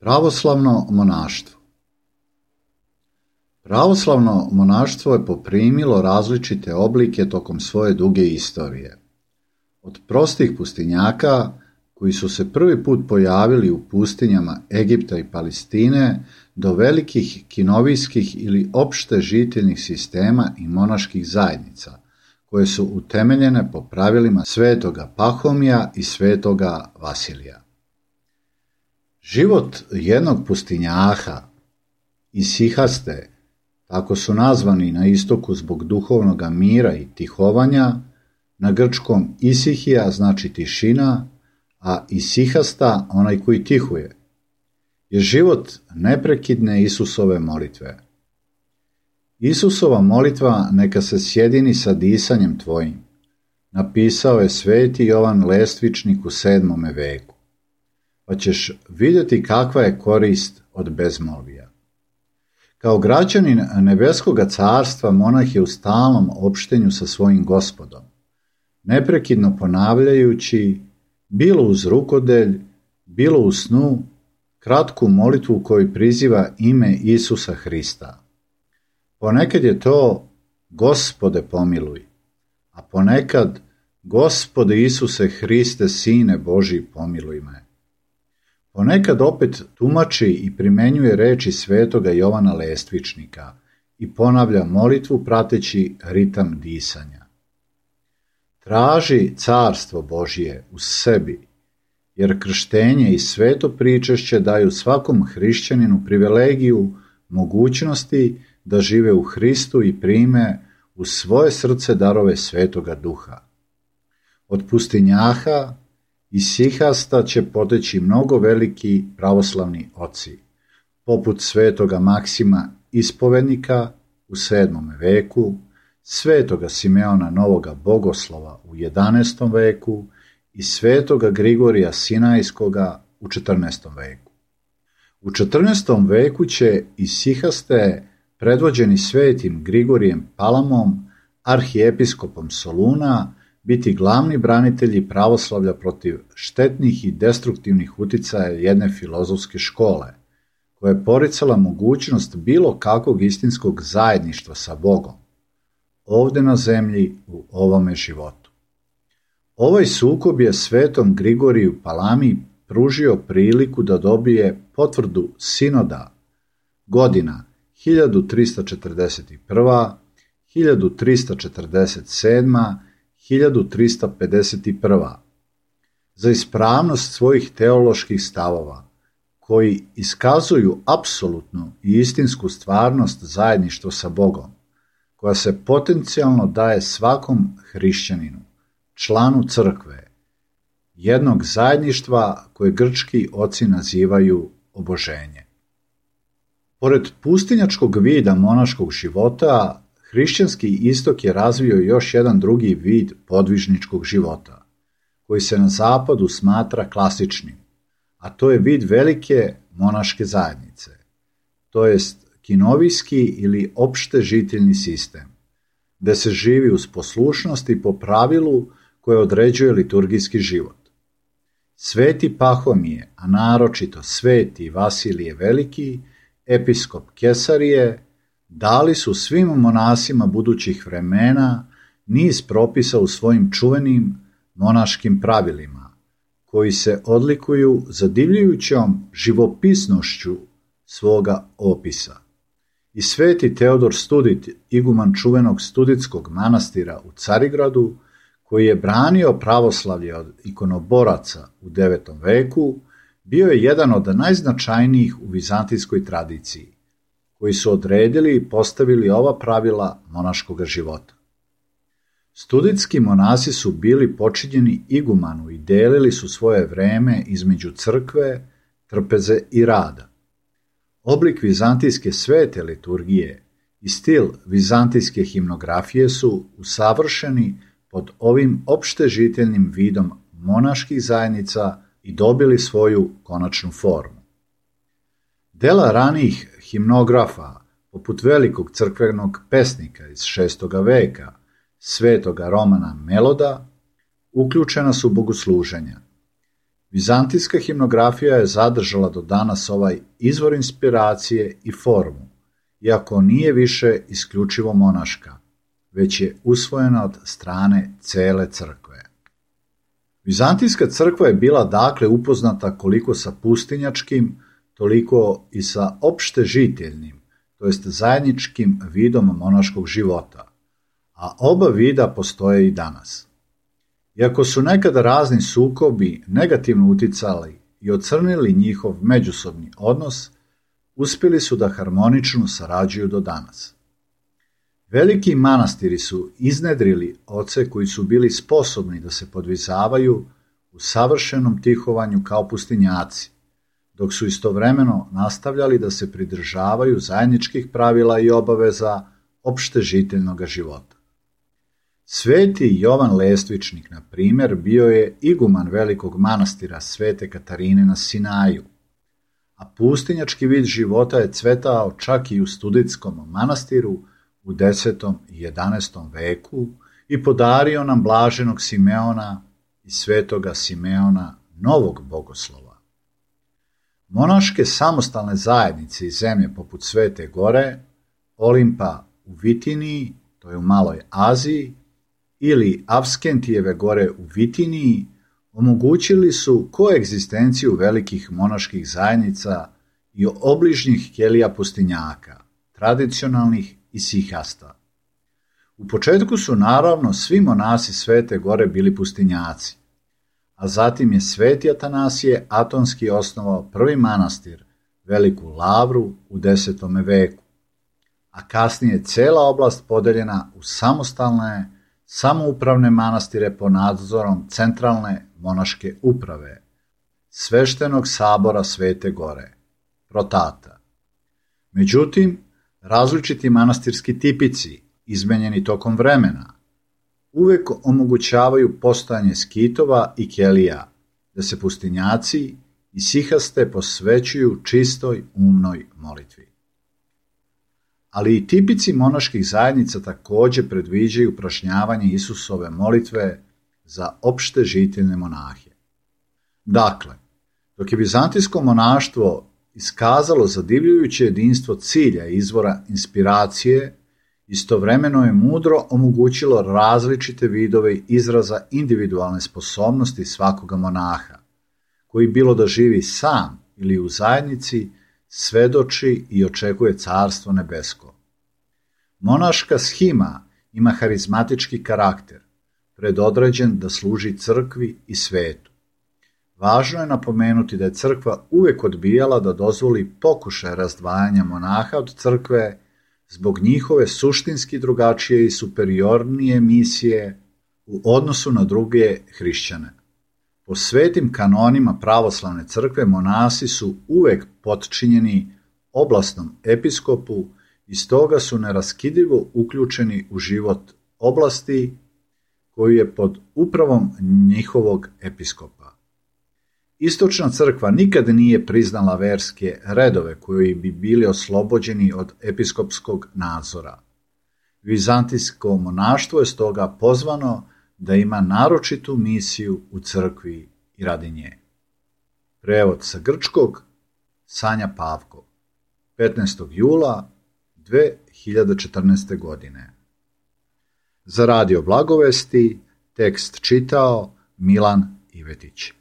Pravoslavno monaštvo. Pravoslavno monaštvo je poprimilo različite oblike tokom svoje duge istorije. Od prostih pustinjaka, koji su se prvi put pojavili u pustinjama Egipta i Palestine, do velikih kinovijskih ili opšte žiteljnih sistema i monaških zajednica, koje su utemeljene po pravilima svetoga Pahomija i svetoga Vasilija. Život jednog pustinjaha, isihaste, tako su nazvani na istoku zbog duhovnog mira i tihovanja, na grčkom isihija znači tišina, a isihasta onaj koji tihuje, je život neprekidne Isusove molitve. Isusova molitva neka se sjedini sa disanjem tvojim, napisao je sveti Jovan Lestvičnik u 7. veku, pa ćeš vidjeti kakva je korist od bezmolvija. Kao građanin nebeskoga carstva monah je u stalnom opštenju sa svojim Gospodom, neprekidno ponavljajući, bilo uz rukodelj, bilo u snu, kratku molitvu u kojoj priziva ime Isusa Hrista. Ponekad je to Gospode pomiluj, a ponekad Gospode Isuse Hriste, Sine Božji, pomiluj me. Ponekad opet tumači i primenjuje reči svetoga Jovana Lestvičnika i ponavlja molitvu prateći ritam disanja. Traži carstvo Božje u sebi, jer krštenje i sveto pričešće daju svakom hrišćaninu privilegiju mogućnosti da žive u Hristu i prime u svoje srce darove svetoga duha. Od pustinjaha i sihasta će poteći mnogo veliki pravoslavni oci, poput svetoga Maksima Ispovednika u 7. veku, svetoga Simeona Novoga Bogoslova u 11. veku i svetoga Grigorija Sinajskoga u 14. veku. U 14. veku će isihaste, predvođeni svetim Grigorijem Palamom, arhijepiskopom Soluna, biti glavni branitelji pravoslavlja protiv štetnih i destruktivnih uticaja jedne filozofske škole, koja je poricala mogućnost bilo kakvog istinskog zajedništva sa Bogom, ovde na zemlji u ovome životu. Ovaj sukob je svetom Grigoriju Palami pružio priliku da dobije potvrdu sinoda godina 1341., 1347., 1351. za ispravnost svojih teoloških stavova, koji iskazuju apsolutnu i istinsku stvarnost zajedništva sa Bogom, koja se potencijalno daje svakom hrišćaninu, članu crkve, jednog zajedništva koje grčki oci nazivaju oboženje. Pored pustinjačkog vida monaškog života, hrišćanski istok je razvio još jedan drugi vid podvižničkog života, koji se na zapadu smatra klasičnim, a to je vid velike monaške zajednice, to jest kinovijski ili opšte žiteljni sistem, gde se živi uz poslušnost i po pravilu koje određuje liturgijski život. Sveti Pahomije, a naročito sveti Vasilije Veliki, episkop Kesarije, dali su svim monasima budućih vremena niz propisa u svojim čuvenim monaškim pravilima, koji se odlikuju zadivljujućom živopisnošću svoga opisa. I sveti Teodor Studit, iguman čuvenog studitskog manastira u Carigradu, koji je branio pravoslavlje od ikonoboraca u 9. veku, bio je jedan od najznačajnijih u vizantijskoj tradiciji, koji su odredili i postavili ova pravila monaškog života. Studitski monasi su bili počinjeni igumanu i delili su svoje vreme između crkve, trpeze i rada. Oblik vizantijske svete liturgije i stil vizantijske himnografije su usavršeni pod ovim opšte žiteljnim vidom monaških zajednica i dobili svoju konačnu formu. Dela ranijih himnografa, poput velikog crkvenog pesnika iz 6. veka, svetoga Romana Meloda, uključena su bogosluženja. Vizantijska himnografija je zadržala do danas ovaj izvor inspiracije i formu, iako nije više isključivo monaška, već je usvojena od strane cele crkve. Vizantijska crkva je bila dakle upoznata koliko sa pustinjačkim, toliko i sa opštežiteljnim, to jest zajedničkim vidom monaškog života, a oba vida postoje i danas. Iako su nekada razni sukobi negativno uticali i ocrnili njihov međusobni odnos, uspjeli su da harmonično sarađuju do danas. Veliki manastiri su iznedrili oce koji su bili sposobni da se podvizavaju u savršenom tihovanju kao pustinjaci, dok su istovremeno nastavljali da se pridržavaju zajedničkih pravila i obaveza opštežiteljnog života. Sveti Jovan Lestvičnik, na primjer, bio je iguman velikog manastira Svete Katarine na Sinaju, a pustinjački vid života je cvetao čak i u Studitskom manastiru u 10. i 11. veku i podario nam blaženog Simeona i svetoga Simeona, novog bogoslova. Monaške samostalne zajednice iz zemlje poput Svete Gore, Olimpa u Vitiniji, to je u Maloj Aziji, ili Avskentijeve gore u Vitiniji, omogućili su koegzistenciju velikih monaških zajednica i obližnjih kelija pustinjaka, tradicionalnih i sihasta. U početku su naravno svi monasi Svete Gore bili pustinjaci, a zatim je Sveti Atanasije Atonski osnovao prvi manastir, Veliku Lavru, u 10. veku, a kasnije je cela oblast podeljena u samostalne, samoupravne manastire pod nadzorom centralne monaške uprave, Sveštenog sabora Svete Gore, Protata. Međutim, različiti manastirski tipici, izmenjeni tokom vremena, uvek omogućavaju postojanje skitova i kelija, da se pustinjaci i sihaste posvećuju čistoj umnoj molitvi. Ali i tipici monaških zajednica također predviđaju prašnjavanje Isusove molitve za opšte žiteljne monahe. Dakle, dok je vizantijsko monaštvo iskazalo zadivljujuće jedinstvo cilja i izvora inspiracije, istovremeno je mudro omogućilo različite vidove izraza individualne sposobnosti svakoga monaha, koji bilo da živi sam ili u zajednici, svedoči i očekuje carstvo nebesko. Monaška shima ima harizmatički karakter, predodređen da služi crkvi i svetu. Važno je napomenuti da je crkva uvek odbijala da dozvoli pokušaj razdvajanja monaha od crkve zbog njihove suštinski drugačije i superiornije misije u odnosu na druge hrišćane. Po svetim kanonima pravoslavne crkve monasi su uvek potčinjeni oblastnom episkopu i stoga su neraskidivo uključeni u život oblasti koji je pod upravom njihovog episkopa. Istočna crkva nikad nije priznala verske redove koji bi bili oslobođeni od episkopskog nadzora. Vizantijsko monaštvo je stoga pozvano da ima naročitu misiju u crkvi i radi nje. Prevod sa grčkog Sanja Pavkov, 15. jula 2014. godine. Za Radio Blagovesti tekst čitao Milan Ivetić.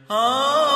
Ah